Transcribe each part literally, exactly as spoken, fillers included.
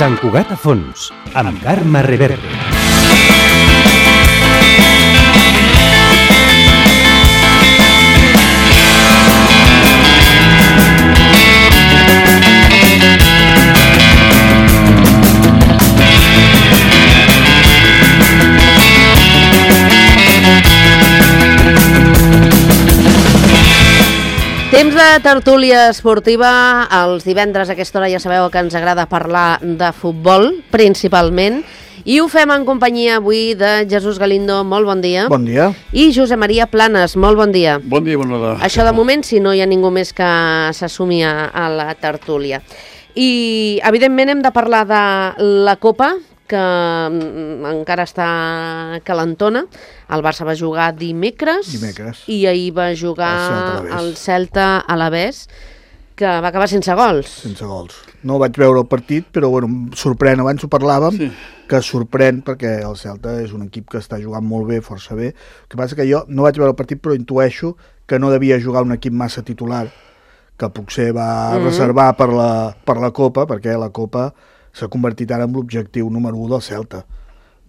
Sant Cugat a fons, amb Carme Reverte. Temps de tertúlia esportiva, els divendres a aquesta hora ja sabeu que ens agrada parlar de futbol, principalment, i ho fem en companyia avui de Jesús Galindo, molt bon dia. Bon dia. I Josep Maria Planes, molt bon dia. Bon dia, bona hora. Això de moment, si no hi ha ningú més que s'assumi a, a la tertúlia. I, evidentment, hem de parlar de la Copa, que encara està calentona. El Barça va jugar dimecres, dimecres. i ahir va jugar el Celta a l'Alavés, que va acabar sense gols. Sense gols. No vaig veure el partit, però bueno, em sorprèn, abans ho parlàvem, sí. que sorprèn perquè el Celta és un equip que està jugant molt bé, força bé. El que passa que jo no vaig veure el partit, però intueixo que no devia jugar un equip massa titular, que potser va mm-hmm. reservar per la, per la Copa, perquè la Copa s'ha convertit ara en l'objectiu número u del Celta.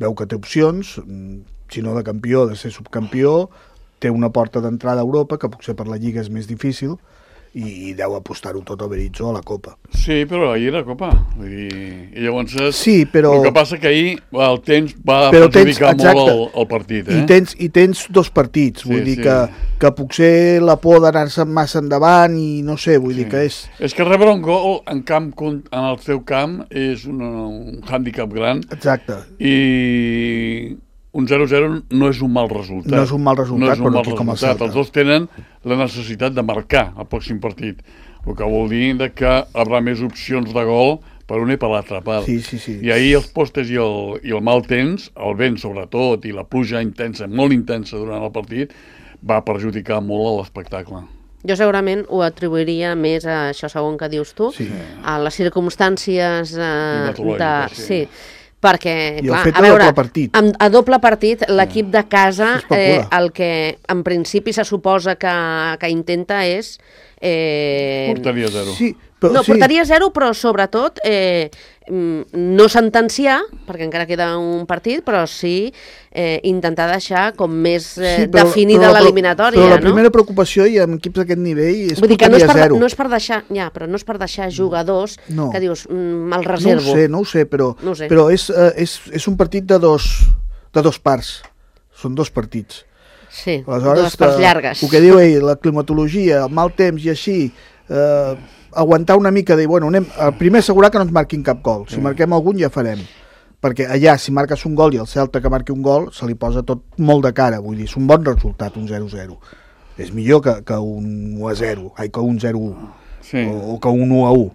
Veu que té opcions, si no de campió, de ser subcampió, té una porta d'entrada a Europa, que potser per la Lliga és més difícil, i deu apostar-ho tot a Berizzo a la Copa. Sí, però ahir era Copa. Vull dir, i llavors, sí, però... el que passa que ahir el temps va però perjudicar tens, molt el, el partit. Eh? I, tens, I tens dos partits, vull sí, dir sí. que, que potser la por d'anar-se massa endavant i no sé, vull sí. dir que és... És que rebre un gol en, camp, en el teu camp és un, un hàndicap gran. Exacte. I... un zero zero no és un mal resultat. No és un mal resultat, no és un però mal com a resultat. Els dos tenen la necessitat de marcar el pròxim partit, el que vol dir que hi haurà més opcions de gol per una i per l'altra part. Sí, sí, sí. I ahir els postes i el, i el mal temps, el vent sobretot, i la pluja intensa, molt intensa durant el partit, va perjudicar molt a l'espectacle. Jo segurament ho atribuiria més a això segon que dius tu, sí. a les circumstàncies eh, de... Sí. Perquè, I clar, el fet a veure, doble partit. Amb, a doble partit, l'equip de casa, eh, el que en principi se suposa que, que intenta és... Eh... Portaria zero. Sí, però, no, sí. portaria zero, però sobretot eh, no sentenciar, perquè encara queda un partit, però sí eh, intentar deixar com més eh, sí, però, definida l'eliminatòria. Però la no? primera preocupació i amb equips d'aquest nivell és Vull dir que no és, per, zero. no és per deixar, ja, però no és per deixar jugadors no. que dius, mm, me'l reservo. No ho sé, no ho sé, però, no ho sé. però és, eh, és, és un partit de dos, de dos parts. Són dos partits. Sí, aleshores, dues parts llargues. El que diu ell, la climatologia, el mal temps i així, eh, aguantar una mica, de, bueno, anem, primer assegurar que no ens marquin cap gol. Si marquem algun ja farem. Perquè allà, si marques un gol i el Celta que marqui un gol, se li posa tot molt de cara. Vull dir, és un bon resultat, un zero zero. És millor que, que un u a zero, ai, que un zero u, sí. o, o que un u a u.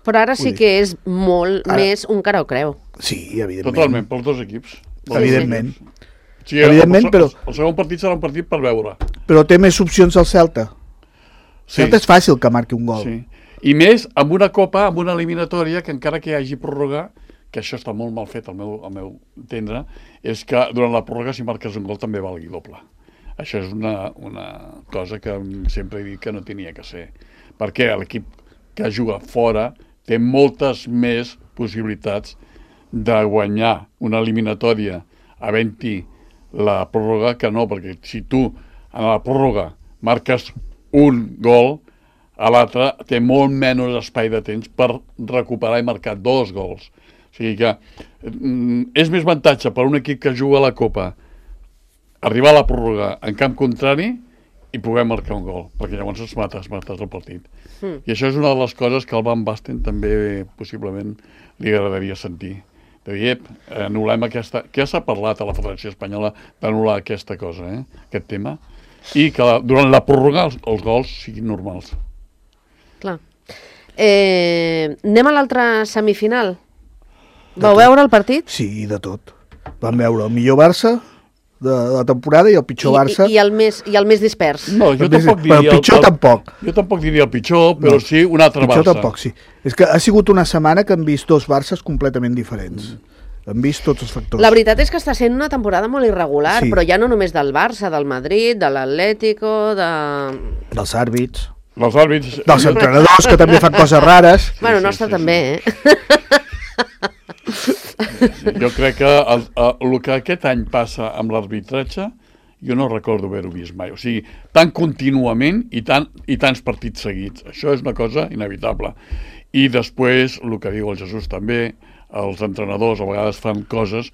Però ara sí que és molt ara... més un cara o creu. Sí, evidentment. Totalment, pels dos equips. Sí, evidentment. Sí, evidentment, el, però... El segon partit serà un partit per veure. Però té més opcions el Celta. El sí. Celta és fàcil que marqui un gol. Sí. I més amb una copa, amb una eliminatòria, que encara que hi hagi pròrroga, que això està molt mal fet al meu, al meu entendre, és que durant la pròrroga, si marques un gol, també valgui doble. Això és una, una cosa que sempre he dit que no tenia que ser. Perquè l'equip que juga fora té moltes més possibilitats de guanyar una eliminatòria havent-hi la pròrroga que no, perquè si tu en la pròrroga marques un gol, a l'altre té molt menys espai de temps per recuperar i marcar dos gols. O sigui que mm, és més avantatge per un equip que juga a la Copa arribar a la pròrroga en camp contrari i poder marcar un gol, perquè llavors es mata, es mata el partit. Mm. I això és una de les coses que al Van Basten també possiblement li agradaria sentir. De dir, anul·lem aquesta... Què s'ha parlat a la Federació Espanyola d'anul·lar aquesta cosa, eh? aquest tema? I que la, durant la pròrroga els, els gols siguin normals. Clar. Eh, anem a l'altra semifinal. Vau veure el partit? Sí, de tot. Vam veure el millor Barça de la temporada i el pitjor I, Barça. I, i, el més, I el més dispers. No, jo el tampoc més, diria... el pitjor el, tampoc. Jo tampoc diria el pitjor, però no, sí un altre pitjor Barça. Tampoc, sí. És que ha sigut una setmana que hem vist dos Barças completament diferents. Mm. Hem vist tots els factors. La veritat és que està sent una temporada molt irregular, sí. però ja no només del Barça, del Madrid, de l'Atlético, de... dels àrbits. Dels àrbits. Dels entrenadors, que també fan coses rares. Bueno, sí, nostre sí, també, sí. eh? sí. Jo crec que el, el, el que aquest any passa amb l'arbitratge, jo no recordo haver-ho vist mai. O sigui, tan contínuament i, tan, i tants partits seguits. Això és una cosa inevitable. I després, el que diu el Jesús també, els entrenadors a vegades fan coses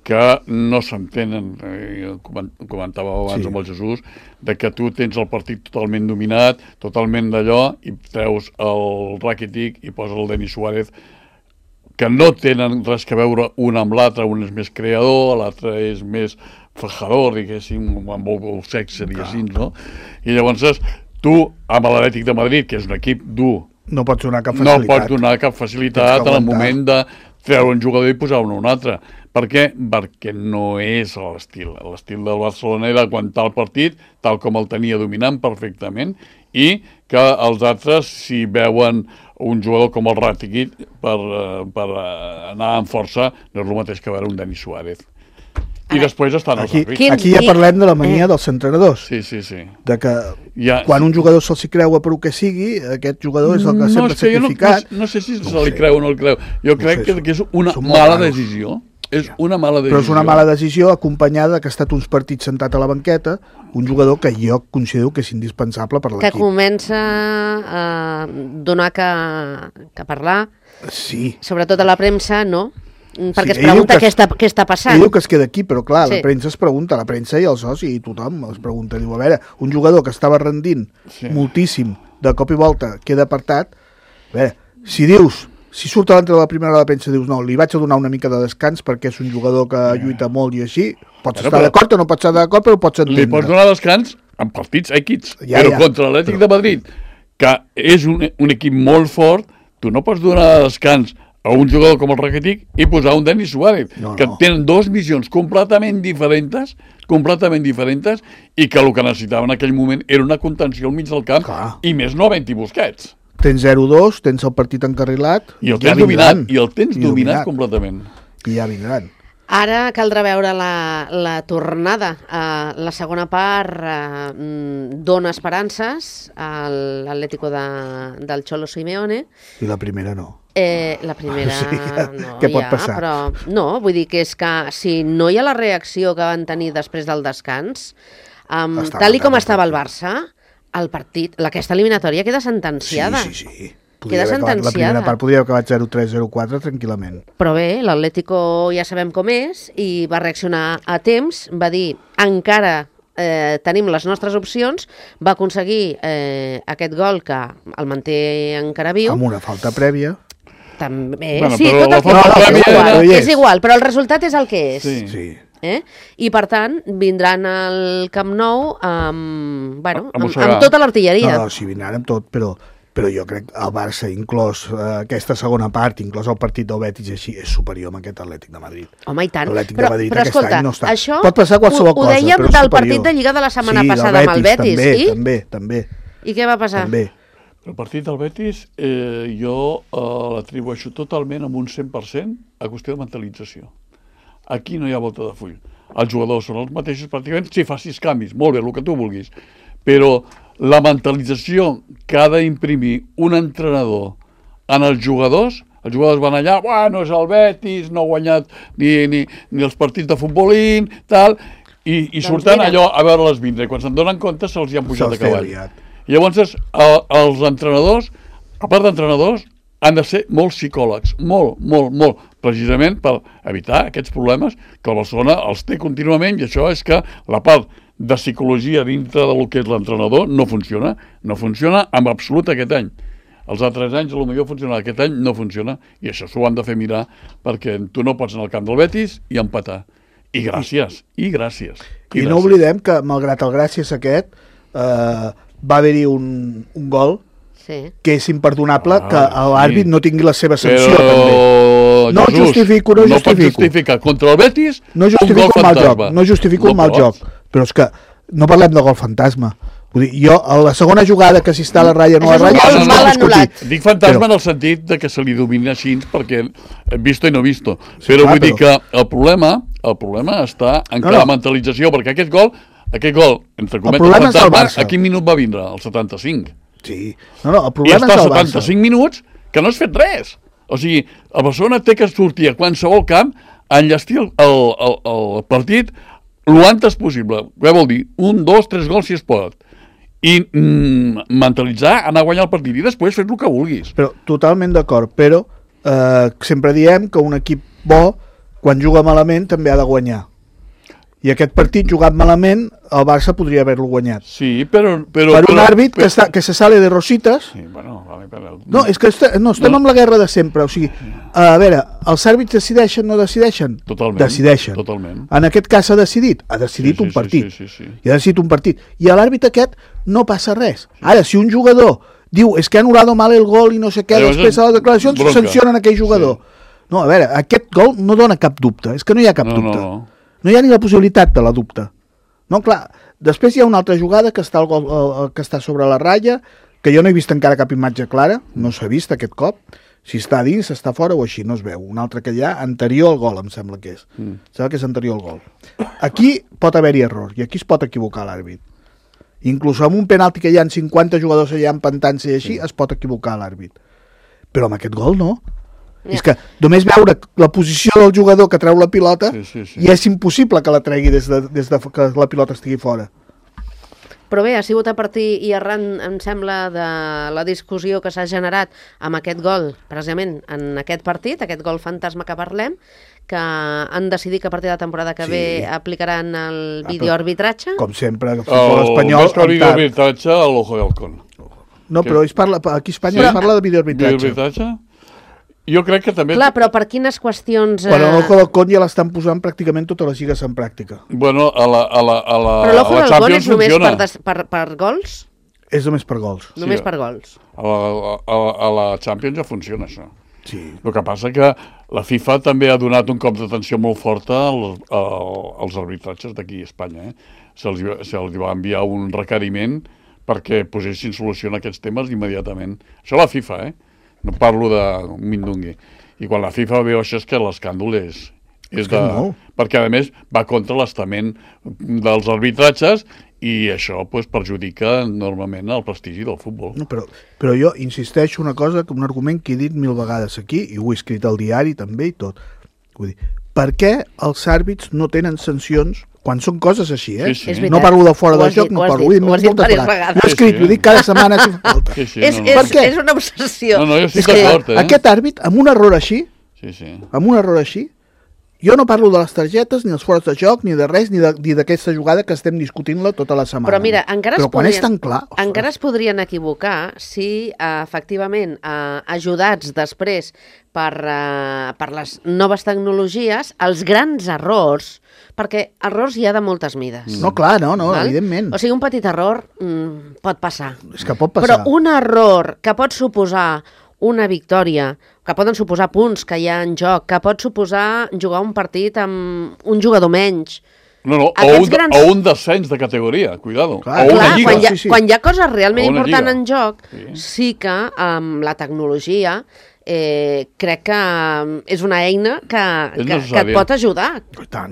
que no s'entenen, eh, comentava abans sí. amb el Jesús, de que tu tens el partit totalment dominat, totalment d'allò, i treus el Rakitic i poses el Denis Suárez, que no tenen res que veure un amb l'altre, un és més creador, l'altre és més fajador, diguéssim, amb el sexe, seria així, no? I llavors tu, amb l'Atlètic de Madrid, que és un equip dur, no pots donar cap facilitat, no pots donar cap facilitat en el moment de treure un jugador i posar-ne un altre. Per què? Perquè no és l'estil. L'estil del Barcelona era aguantar el partit tal com el tenia dominant perfectament i que els altres, si veuen un jugador com el Rakitic per, per anar amb força, no és el mateix que veure un Denis Suárez. I després estan els aquí, àrbits. aquí ja parlem de la mania eh. dels entrenadors. Sí, sí, sí. De que ja, quan un jugador se'l s'hi creua per el que sigui, aquest jugador és el que no, sempre sacrificat. No, no, no sé si no se li creu o no el creu. Jo no crec sé, que, que és una mala decisió. És una mala decisió. Però és una mala decisió acompanyada que ha estat uns partits sentat a la banqueta, un jugador que jo considero que és indispensable per l'equip. Que comença a donar que, que parlar, sí. Sobretot a la premsa, no? Perquè sí, es pregunta que què, està, què està passant. Ell diu que es queda aquí, però clar, sí. La premsa es pregunta, la premsa i els socis i tothom es pregunta. Diu, a veure, un jugador que estava rendint sí. moltíssim, de cop i volta queda apartat, a veure, si dius... Si surt a l'entre de la primera hora de la premsa dius no, li vaig a donar una mica de descans perquè és un jugador que lluita molt i així, pots però, estar d'acord o no pots estar d'acord, però ho pots entendre. Li pots donar descans en partits èquids, ja, però ja. contra l'Atlètic de Madrid, que és un, un equip molt fort, tu no pots donar descans a un jugador com el Rakitic i posar un Denis Suárez, no, que no. tenen dues missions completament diferents, completament diferents, i que el que necessitava en aquell moment era una contenció al mig del camp, clar. I més no havent-hi Busquets. Tens zero dos, tens el partit encarrilat... I el tens ja dominat, i el tens I dominat, dominat completament. I ja vindran. Ara caldrà veure la, la tornada. Uh, la segona part uh, dona esperances a l'Atlético de, del Cholo Simeone. I la primera no. Eh, la primera o sigui, no, què pot ja, passar? Però no, vull dir que és que si no hi ha la reacció que van tenir després del descans, um, tal i com estava el Barça, el partit, aquesta eliminatòria queda sentenciada. Sí, sí, sí. Queda sentenciada. La primera part podria haver acabat zero tres zero quatre tranquil·lament. Però bé, l'Atlético ja sabem com és i va reaccionar a temps, va dir encara eh, tenim les nostres opcions, va aconseguir eh, aquest gol que el manté encara viu. Amb una falta prèvia. També, bueno, sí, tot el que no, és, igual, no és igual, però el resultat és el que és. Sí, sí. Eh? I per tant vindran al Camp Nou amb, bueno, amb, amb, amb tota l'artilleria. No, no, sí, vindran amb tot, però, però jo crec que el Barça, inclòs eh, aquesta segona part, inclòs el partit del Betis així, és superior amb aquest Atlètic de Madrid. Home, i tant. L'Atlètic però, de Madrid però aquest escolta, any no està. Això pot passar qualsevol ho, ho cosa, dèiem però és del superior. partit de Lliga de la setmana sí, passada amb el Betis. També, I? també, també. I què va passar? També. El partit del Betis eh, jo eh, l'atribueixo totalment amb un cent per cent a qüestió de mentalització. Aquí no hi ha volta de full. Els jugadors són els mateixos pràcticament, si facis canvis, molt bé, el que tu vulguis, però la mentalització que ha d'imprimir un entrenador en els jugadors, els jugadors van allà, bueno, és el Betis, no ha guanyat ni, ni, ni els partits de futbolín, tal, i, i doncs surten mira. allò a veure-les vindre, i quan se'n donen compte se'ls hi han pujat a cavall. I llavors el, els entrenadors, a part d'entrenadors, han de ser molts psicòlegs, molt, molt, molt, precisament per evitar aquests problemes que el Barcelona els té contínuament, i això és que la part de psicologia dintre del que és l'entrenador no funciona, no funciona en absolut aquest any. Els altres anys potser funciona, aquest any no funciona, i això s'ho han de fer mirar, perquè tu no pots anar al camp del Betis i empatar. I gràcies, i gràcies. I, I no oblidem que, malgrat el gràcies aquest, eh, va haver-hi un, un gol sí. que és imperdonable ah, que l'àrbit sí. no tingui la seva sanció. Però, també. No Jesús, justifico, no, no justifico. No pots justificar contra el Betis no justifico un gol el mal fantasma. joc, no justifico no el mal pots. joc, però és que no parlem de gol fantasma. Vull dir, jo, a la segona jugada que si està a la ratlla no a la ratlla, no, no, no, discutit. Dic fantasma però... en el sentit de que se li domina així perquè visto i no visto. Sí, però clar, vull però... dir que el problema, el problema està en no, no. la mentalització, perquè aquest gol, aquest gol, entre cometes, el fantasma, a quin minut va vindre? El setanta-cinc. Sí. No, no, el problema I està a setanta-cinc minuts que no has fet res. O sigui, el Barcelona té que sortir a qualsevol camp enllestir el, el, el, el partit el antes possible. Què vol dir? Un, dos, tres gols si es pot. I mm, mentalitzar, anar a guanyar el partit i després fer el que vulguis. Però totalment d'acord, però eh, sempre diem que un equip bo, quan juga malament, també ha de guanyar. I aquest partit, jugat malament, el Barça podria haver-lo guanyat. Sí, però... però per un però, àrbit però, que, està, que se sale de rositas... Sí, bueno, vale, però... No, és que est no, estem no. amb la guerra de sempre. O sigui, a veure, els àrbits decideixen, no decideixen? Totalment. Decideixen. Totalment. En aquest cas ha decidit? Ha decidit sí, sí, un partit. Sí, sí, sí, sí. I ha decidit un partit. I a l'àrbit aquest no passa res. Sí. Ara, si un jugador diu és que ha anul·lat mal el gol i no sé què, Llavors després a les declaracions bronca. Sancionen aquell jugador. Sí. No, a veure, aquest gol no dona cap dubte. És que no hi ha cap no, dubte. No, no. No hi ha ni la possibilitat de la dubte. No, clar, després hi ha una altra jugada que està, el gol, el, que està sobre la ratlla, que jo no he vist encara cap imatge clara, no s'ha vist aquest cop, si està dins, està fora o així, no es veu. Un altre que hi ha, anterior al gol, em sembla que és. Mm. Sembla que és anterior al gol. Aquí pot haver-hi error, i aquí es pot equivocar l'àrbit. Inclús amb un penalti que hi ha cinquanta jugadors allà empantant-se i així, sí. Es pot equivocar l'àrbit. Però amb aquest gol no. Ja. És que només veure la posició del jugador que treu la pilota sí, sí, sí. I és impossible que la tregui des de, des de que la pilota estigui fora. Però bé, ha sigut a partir i arran, em sembla, de la discussió que s'ha generat amb aquest gol, precisament en aquest partit, aquest gol fantasma que parlem, que han decidit que a partir de la temporada que sí. ve aplicaran el videoarbitratge. Com sempre, el futbol espanyol... El videoarbitratge a l'Ojo de Halcón. No, però es parla, aquí a Espanya sí? es parla de videoarbitratge. Videoarbitratge? Jo crec que també... Clar, però per quines qüestions... Bueno, l'Ojo del Con ja l'estan posant pràcticament totes les lligues en pràctica. Bueno, a la, a la, a la, però l'Ojo del Con és només funciona. per, des, per, per gols? És només per gols. Només sí, per gols. A la, a, a la Champions ja funciona, això. Sí. El que passa que la FIFA també ha donat un cop d'atenció molt forta als, als arbitratges d'aquí a Espanya. Eh? Se'ls se va enviar un requeriment perquè posessin solució a aquests temes immediatament. Això la FIFA, eh? No parlo de Mindungui. I quan la FIFA veu això és que l'escàndol és, és de... No. Perquè, a més, va contra l'estament dels arbitratges i això pues, perjudica enormement el prestigi del futbol. No, però, però jo insisteixo una cosa, un argument que he dit mil vegades aquí, i ho he escrit al diari també i tot. Vull dir, per què els àrbits no tenen sancions quan són coses així, eh? Sí, sí. No parlo de fora de joc, no parlo... Ho has dit diverses vegades. Ho he escrit, ho dic cada setmana si fa falta. Sí, sí, és, no, no. és, és una obsessió. No, no, jo estic és d'acord, eh? Aquest àrbit, amb un error així, sí, sí. amb un error així, jo no parlo de les targetes, ni els fores de joc, ni de res, ni d'aquesta jugada que estem discutint-la tota la setmana. Però mira, encara, Però es, podrien, és tan clar, encara es podrien equivocar si, eh, efectivament, eh, ajudats després per, eh, per les noves tecnologies, els grans errors, perquè errors hi ha de moltes mides. No, clar, no, no, val? evidentment. O sigui, un petit error mm, pot passar. És que pot passar. Però un error que pot suposar una victòria, que poden suposar punts que hi ha en joc, que pot suposar jugar un partit amb un jugador menys. No, no, o un, grans... o un descens de categoria, cuidado. Clar, o una clar, lliga. Quan hi, ha, sí, sí. quan hi ha coses realment importants lliga. en joc, sí. sí que amb la tecnologia eh, crec que és una eina que, que, que et pot ajudar.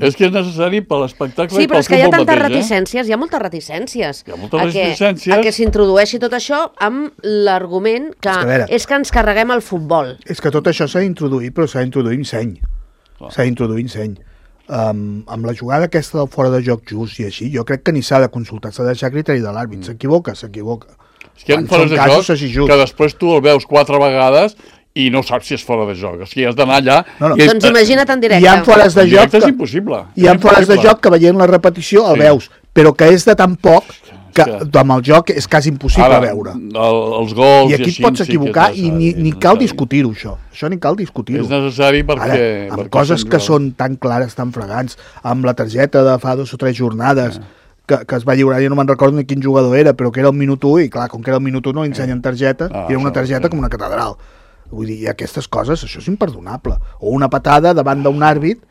És que és necessari per l'espectacle sí, i pel futbol mateix. Sí, però és que hi ha tantes mateix, reticències, eh? hi ha moltes reticències. Hi ha moltes a reticències. Que, a que s'introdueixi tot això amb l'argument que, és que, veure, és que ens carreguem el futbol. És que tot això s'ha d'introduir, però s'ha d'introduir amb seny. S'ha d'introduir amb seny. Um, amb la jugada aquesta del fora de joc just i així, jo crec que ni s'ha de consultar, s'ha de deixar criteri de l'àrbit. S'equivoca, s'equivoca. És que hi ha fores de joc que després tu el veus quatre vegades i no saps si és fora de joc. O sigui, has d'anar allà... No, no. I doncs imagina't en directe. Hi ha fores de joc que... és impossible. Hi ha fores de joc que veient la repetició el sí. veus, però que és de tan poc que amb el joc és quasi impossible Ara, veure. El, els gols i aquí et pots equivocar sí i ni, ni cal discutir-ho, això. Això ni cal discutir-ho. És necessari perquè... Ara, amb perquè coses que són tan clares, tan fregants, amb la targeta de fa dos o tres jornades... Ah. Que, que es va lliurar, jo no me'n recordo ni quin jugador era, però que era el minut u, i clar, com que era el minut u no li ensenyen targeta, ah, i era una targeta com una catedral. Vull dir, i aquestes coses, això és imperdonable. O una patada davant d'un àrbit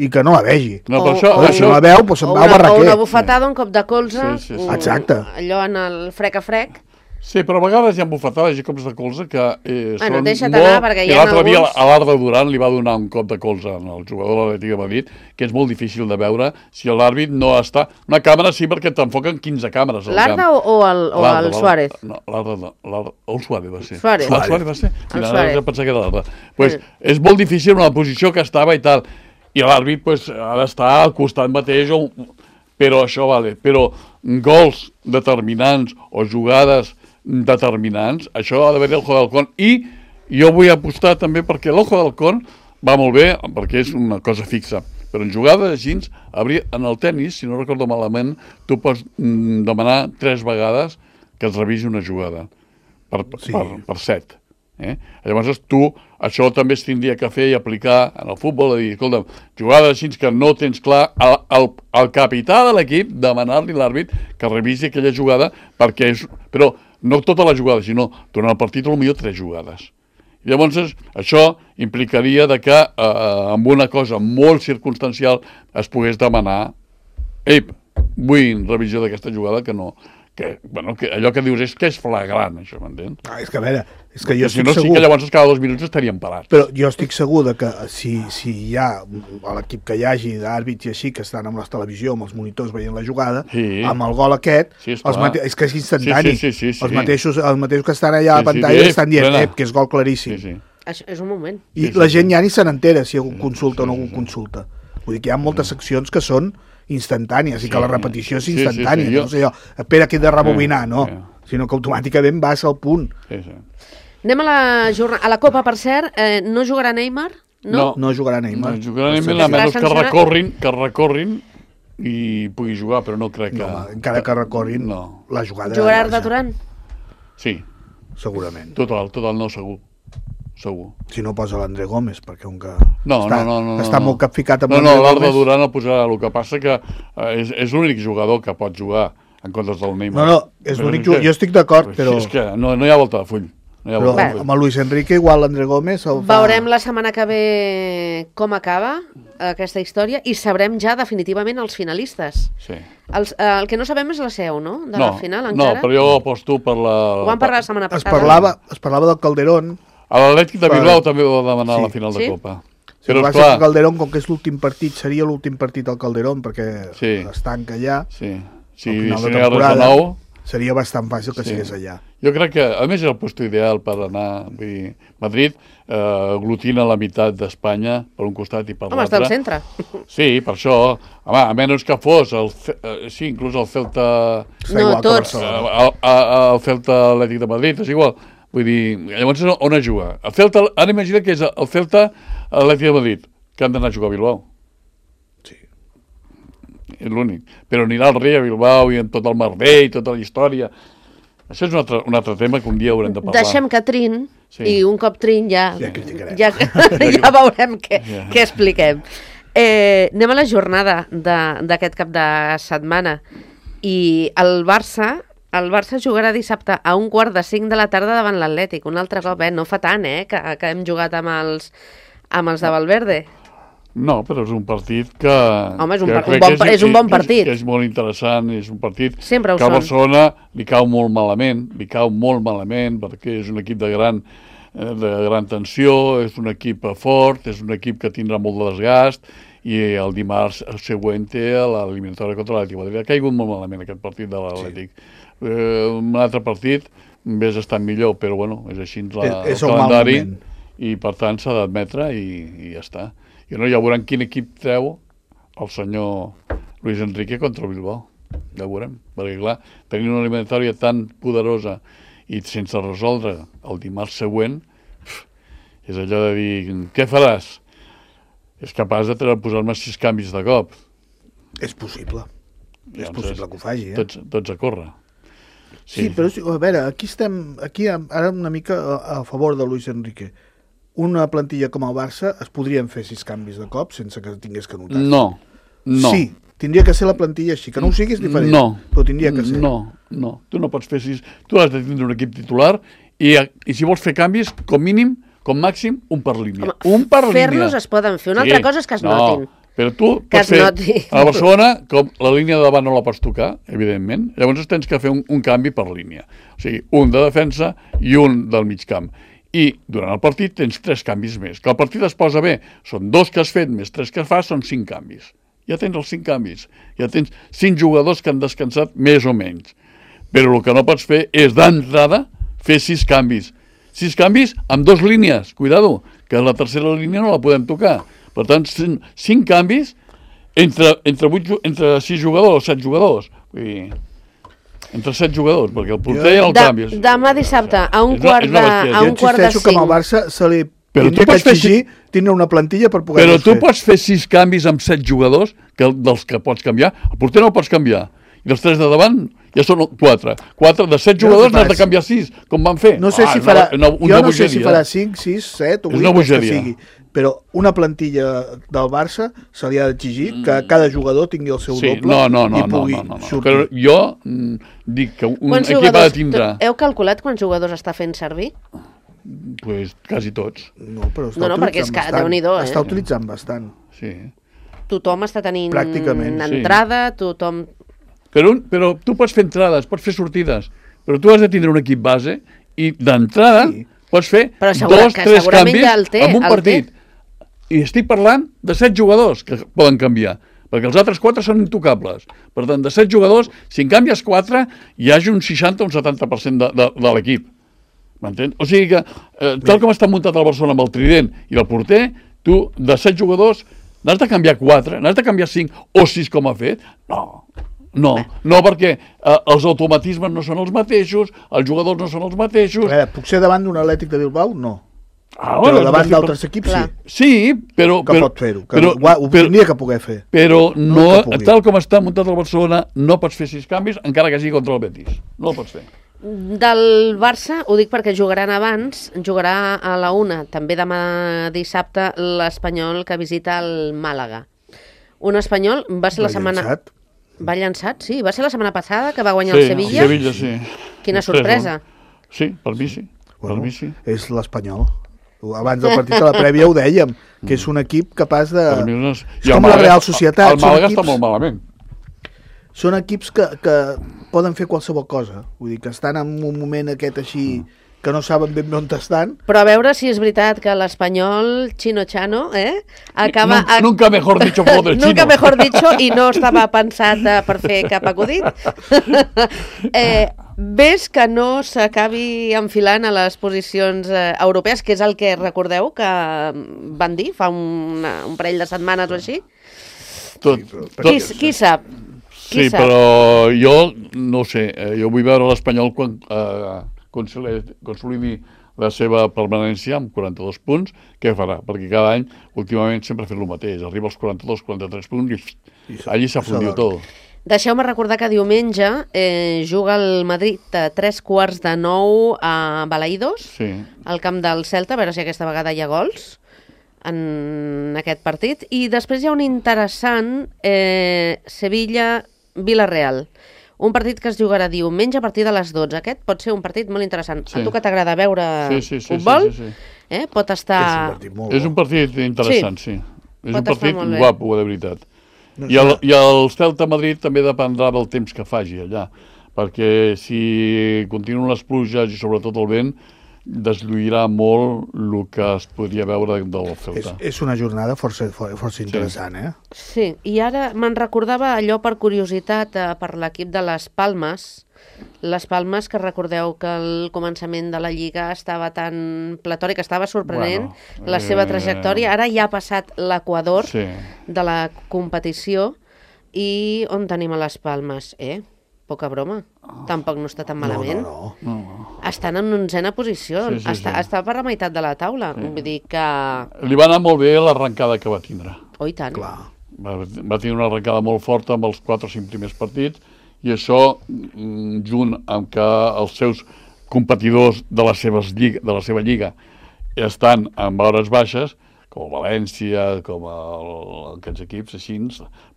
i que no la vegi. No, o, això, o, si no la veu, doncs se'n va al barraquer. O una bufetada, un cop de colze, sí, sí, sí. Exacte. allò en el frec a frec. Sí, però a vegades hi ha bufetades i cops de colze que eh, bueno, són deixa't molt... anar, perquè hi ha l'altre alguns... dia a l'Arda Duran li va donar un cop de colze al jugador de l'Atlètic de Madrid, que és molt difícil de veure si l'àrbit no està... Una càmera sí, perquè t'enfoquen quinze càmeres. L'Arda o, o el, o el Suárez? No, l'Arda no. El Suárez va ser. Suárez. El Suárez va ser? El Suárez. Jo pensava que era l'Arda. Pues, mm. És molt difícil en la posició que estava i tal. i l'àrbit pues, ha d'estar al costat mateix, o, però això vale. Però gols determinants o jugades determinants, això ha d'haver el Ojo de Halcón. I jo vull apostar també perquè l'Ojo de Halcón va molt bé, perquè és una cosa fixa. Però en jugades així, en el tennis, si no recordo malament, tu pots demanar tres vegades que es revisi una jugada per, sí. per, per set. Eh? Llavors tu, això també es tindria que fer i aplicar en el futbol, a dir, escolta, jugades així que no tens clar, el, el, el capità de l'equip, demanar-li a l'àrbit que revisi aquella jugada, perquè és, però no tota la jugada, sinó durant el partit potser tres jugades. Llavors, això implicaria de que eh, amb una cosa molt circumstancial es pogués demanar ei, vull revisió d'aquesta jugada que no... Que, bueno, que allò que dius és que és flagrant, això, m'entens? Ah, és que a veure, és que jo si estic no, segur... sí que llavors cada dos minuts estaríem parats. Però jo estic segur de que si, si hi ha l'equip que hi hagi d'àrbits i així, que estan amb la televisió, amb els monitors veient la jugada, sí. amb el gol aquest, sí, els mate... és que és instantani. Sí, sí, sí, sí, sí. Els, mateixos, els mateixos que estan allà a la pantalla sí, sí, estan dient ep, que és gol claríssim. Sí, sí. Això és un moment. I sí, sí, la gent sí. ja ni se n'entera si algú consulta o no algú consulta. Vull dir que hi ha moltes seccions que són instantànies sí, i que la repetició és instantània. Sí, sí, sí. No sé jo, espera que he de rebobinar, no. Sí, sí. Sinó que automàticament vas al punt. Sí, sí. Anem a la, jornada, a la Copa, per cert, eh, no jugarà Neymar? No, no, no jugarà Neymar. No jugarà Neymar, a menys que recorrin, que recorrin i pugui jugar, però no crec que... No, encara que recorrin, no. La jugada... Jugarà Arda Turan? Sí. Segurament. Total, total, no, segur. Segur. Si no posa l'André Gómez, perquè un que no, està, no, no, no, està no. molt capficat amb no, l'André no, Gómez. No, l'Arda Duran el posarà. El que passa que eh, és, és l'únic jugador que pot jugar en comptes del Neymar. No, no, és l'únic jugador. Jo estic d'acord, però... És que no, no hi ha volta de full. No hi ha però volta de full. Amb el Luis Enrique igual l'André Gómez el fa... Veurem la setmana que ve com acaba aquesta història i sabrem ja definitivament els finalistes. Sí. Els, eh, el que no sabem és la seu, no? De no, la final encara. No, però jo aposto per la... Ho vam parlar la setmana es passada. parlava, es parlava del Calderón. A l'Atlètic de Bilbao per... també va demanar sí. la final de sí? Copa. Sí, però va ser el Calderón, com que és l'últim partit, seria l'últim partit al Calderón, perquè sí. es tanca allà. Sí, sí, al final si de temporada, no nou, seria bastant fàcil que sí. sigués allà. Jo crec que, a més, és el puesto ideal per anar... Vull dir, Madrid eh, aglutina la meitat d'Espanya per un costat i per l'altre. Home, està al centre. Sí, per això. Home, a menys que fos, el, eh, sí, inclús el Celta... No, tots. Eh, el, el Celta Atlètic de Madrid, és igual. Vull dir, llavors on es juga? El Celta, ara imagina que és el Celta Atlètic de Madrid, que han d'anar a jugar a Bilbao. Sí. És l'únic. Però anirà al rei a Bilbao i en tot el merder i tota la història. Això és un altre, un altre tema que un dia haurem de parlar. Deixem que trin, sí. I un cop trin ja... Ja criticarem. Ja, ja veurem què, yeah. què expliquem. Eh, anem a la jornada d'aquest cap de setmana. I el Barça... El Barça jugarà dissabte a un quart de cinc de la tarda davant l'Atlètic. Un altre cop, eh? No fa tant, eh? Que, que hem jugat amb els, amb els de Valverde. No, però és un partit que... Home, és un, par un, bon, és, és un bon partit. És, és molt interessant, és un partit Sempre que a Barcelona li cau molt malament, li cau molt malament, perquè és un equip de gran, de gran tensió, és un equip fort, és un equip que tindrà molt de desgast, i el dimarts següent té l'eliminatòria contra l'Atlètic de Madrid. Ha caigut molt malament aquest partit de l'Atlètic. Sí. Eh, un altre partit hauria estat millor, però bueno, és així la, és, és el calendari i per tant s'ha d'admetre i, i ja està. I no, ja veurem quin equip treu el senyor Luis Enrique contra el Bilbao. Ja veurem, perquè clar, tenint una eliminatòria tan poderosa i sense resoldre el dimarts següent, és allò de dir, què faràs? És capaç de posar-me sis canvis de cop. És possible. Ja, és possible que ho faci, eh? Tots, tots a córrer. Sí, sí, però a veure, aquí estem, aquí ara una mica a, a favor de Luis Enrique. Una plantilla com el Barça es podrien fer sis canvis de cop sense que tingués que notar. No, no. Sí, tindria que ser la plantilla així, que no ho siguis diferent, no, però tindria que ser. No, no, tu no pots fer sis, tu has de tindre un equip titular i, i si vols fer canvis, com mínim, com màxim, un per línia. Home, un per línia. Fer-los es poden fer, una sí. altra cosa és que es no, notin. Però tu que pots fer, noti. a Barcelona, com la línia de davant no la pots tocar, evidentment, llavors tens que fer un, un canvi per línia. O sigui, un de defensa i un del mig camp. I durant el partit tens tres canvis més. Que el partit es posa bé, són dos que has fet més tres que fas, són cinc canvis. Ja tens els cinc canvis. Ja tens cinc jugadors que han descansat més o menys. Però el que no pots fer és d'entrada fer sis canvis. Sis canvis amb dos línies, cuidado, que la tercera línia no la podem tocar, Per tant, cinc, cinc canvis entre, entre, vuit, entre sis jugadors o set jugadors. Vull dir, entre set jugadors, perquè el porter ja no el de, canvies. Demà dissabte, a un És una- quart és una de, bestiesa. a Jo un quart de insisteixo que amb el cinc. Barça se li Però tindria tu que pots fer exigir tindre una plantilla per poder Però tu fer. pots fer sis canvis amb set jugadors, que dels que pots canviar. El porter no el pots canviar. I els tres de davant ja són quatre. Quatre de set Jo no jugadors sé n'has de pas. canviar sis, com van fer. No sé Ah, si és farà, una, una, una jo no sé si bogeria. farà cinc, sis, set o És vuit, una els que bogeria. sigui, però una plantilla del Barça se li ha d'exigir que cada jugador tingui el seu Sí, doble no, no, no, i no, pugui no, no, no. sortir. Però jo mm, dic que un Quants equip ha de jugadors, tindre heu calculat quants jugadors està fent servir? pues, quasi tots. No, però està No, no, perquè és utilitzant que bastant. Déu-n'hi-do, eh? Està utilitzant bastant. Sí. Tothom està tenint Pràcticament, sí. entrada, tothom... Però, un, però tu pots fer entrades, pots fer sortides, però tu has de tindre un equip base i d'entrada Sí. pots fer Però segura- dos, que tres segurament canvis ja el té, en un el partit. I estic parlant de set jugadors que poden canviar, perquè els altres quatre són intocables. Per tant, de set jugadors, si en canvies quatre, hi hagi un seixanta o un setanta per cent de, de, de l'equip. M'entens? O sigui que, eh, tal com està muntat el Barcelona amb el trident i el porter, tu, de set jugadors, n'has de canviar quatre, n'has de canviar cinc o sis com ha fet? No, no, no perquè eh, els automatismes no són els mateixos, els jugadors no són els mateixos. A veure, puc ser davant d'un Atlètic de Bilbao? No. Ah, Però bueno, davant sí, d'altres equips Clar. sí, Sí, però... que però, pot fer-ho, que però, ho, ho però, tindria que poder fer. però No no, que pugui. tal com està muntat el Barcelona, no pots fer sis canvis, encara que sigui contra el Betis. No el pots fer. Del Barça, ho dic perquè jugaran abans, jugarà a la una, també demà dissabte, l'Espanyol que visita el Màlaga. Un Espanyol va ser la Va setmana... llançat. Va llançat, sí. Va ser la setmana passada que va guanyar Sí, el Sevilla. Sevilla, sí. Quina tres, sorpresa. no? Sí, per mi sí. Bueno, per mi sí. és l'Espanyol. Abans del partit a la prèvia ho dèiem, que és un equip capaç de... Per mi no és... És I el com la Màlaga- Real Societat. El són Màlaga equips- està molt malament. Són equips que, que poden fer qualsevol cosa. Vull dir, que estan en un moment aquest així que no saben ben bé on estan. Però a veure si és veritat que l'Espanyol, Chino Chano, eh, acaba... Nunca, nunca mejor dicho por del Nunca chino. mejor dicho, i no estava pensat eh, per fer cap acudit. eh, ves que no s'acabi enfilant a les posicions eh, europees, que és el que recordeu que van dir fa una, un parell de setmanes o així? Tot, Qui, tot, qui sap? Qui sí, sap? però jo no ho sé, eh, jo vull veure l'Espanyol quan eh, consolidi, consolidi la seva permanència amb quaranta-dos punts, què farà? Perquè cada any, últimament, sempre ha fet el mateix. Arriba als quaranta-dos, quaranta-tres punts i, I i allí s'ha fundit tot. Deixeu-me recordar que diumenge eh, juga el Madrid a tres quarts de nou a Balaïdos, Sí. al camp del Celta, a veure si aquesta vegada hi ha gols en aquest partit. I després hi ha un interessant eh, Sevilla-Villarreal. Un partit que es jugarà diumenge a partir de les dotze. Aquest pot ser un partit molt interessant. Sí. A tu que t'agrada veure Sí, sí, sí, futbol, sí, sí, sí. Eh, pot És un estar... partit molt És un partit interessant, sí. És Pot un estar partit molt bé. guapo, de veritat. No I el, I el Celta Madrid també dependrà del temps que faci allà, perquè si continuen les pluges i sobretot el vent, deslluirà molt el que es podria veure del És, Celta. és una jornada força, força interessant, eh? Sí, i ara me'n recordava allò per curiositat eh, per l'equip de les Palmes. Les Palmes, que recordeu que al començament de la Lliga estava tan platòric, estava sorprenent Bueno, la seva eh, trajectòria. Ara ja ha passat l'Equador Sí. de la competició i on tenim a les Palmes? Eh? Poca broma. Tampoc no està tan malament. No, no, no. No. Estan en onzena posició. Sí, sí, està, sí. està per la meitat de la taula. Vull dir que... Li va anar molt bé l'arrencada que va tindre. Oh, i tant. Clar. Va, va tenir una arrencada molt forta amb els quatre o cinc primers partits i això, mm, junt amb que els seus competidors de, les seves lliga, de la seva lliga estan en hores baixes, com el València, com el, aquests equips així,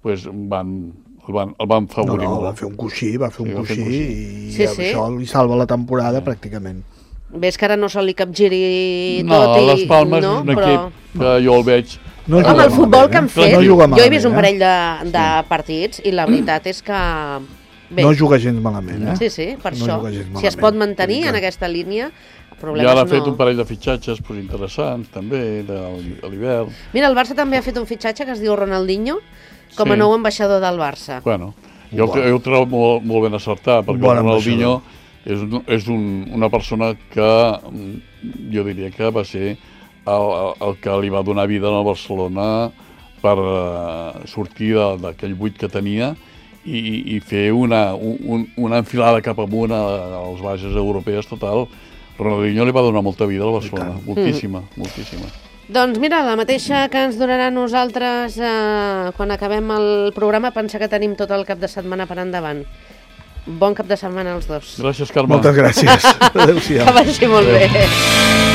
pues van, el, van, el van No, favorir no, molt. va fer un coixí, va fer un Sí, va fer coixí, un coixí. i Sí, amb sí. això li salva la temporada pràcticament. Ves que ara no se li capgiri No, tot i... les Palmes no, és un però... equip que jo el veig... No Home, juga el futbol malament, que han eh? fet, No juga jo he vist un malament, parell de, de partits i la veritat és que... Bé, No juga gens malament, eh? sí, sí, per No això. juga gens Si es malament. pot mantenir Vull dir en que- aquesta línia, I problemes ara ha no. fet un parell de fitxatges pues, interessants, també, de, a l'hivern. Mira, el Barça també ha fet un fitxatge que es diu Ronaldinho, com a Sí. nou ambaixador del Barça. Bueno, jo, Bueno. jo ho trobo molt, molt ben acertat, perquè Bon el Ronaldinho és, un, és un, una persona que mm, jo diria que va ser el, el que li va donar vida al Barcelona per uh, sortir d'aquell buit que tenia i, i fer una, un, una enfilada cap amunt a, a les bases europees total. Ronaldinho li va donar molta vida al Barcelona, moltíssima, mm. moltíssima. Doncs mira, la mateixa que ens donarà a nosaltres eh, quan acabem el programa, pensa que tenim tot el cap de setmana per endavant. Bon cap de setmana als dos. Gràcies, Carme. Moltes gràcies. Adéu-siau. Que vagi molt bé.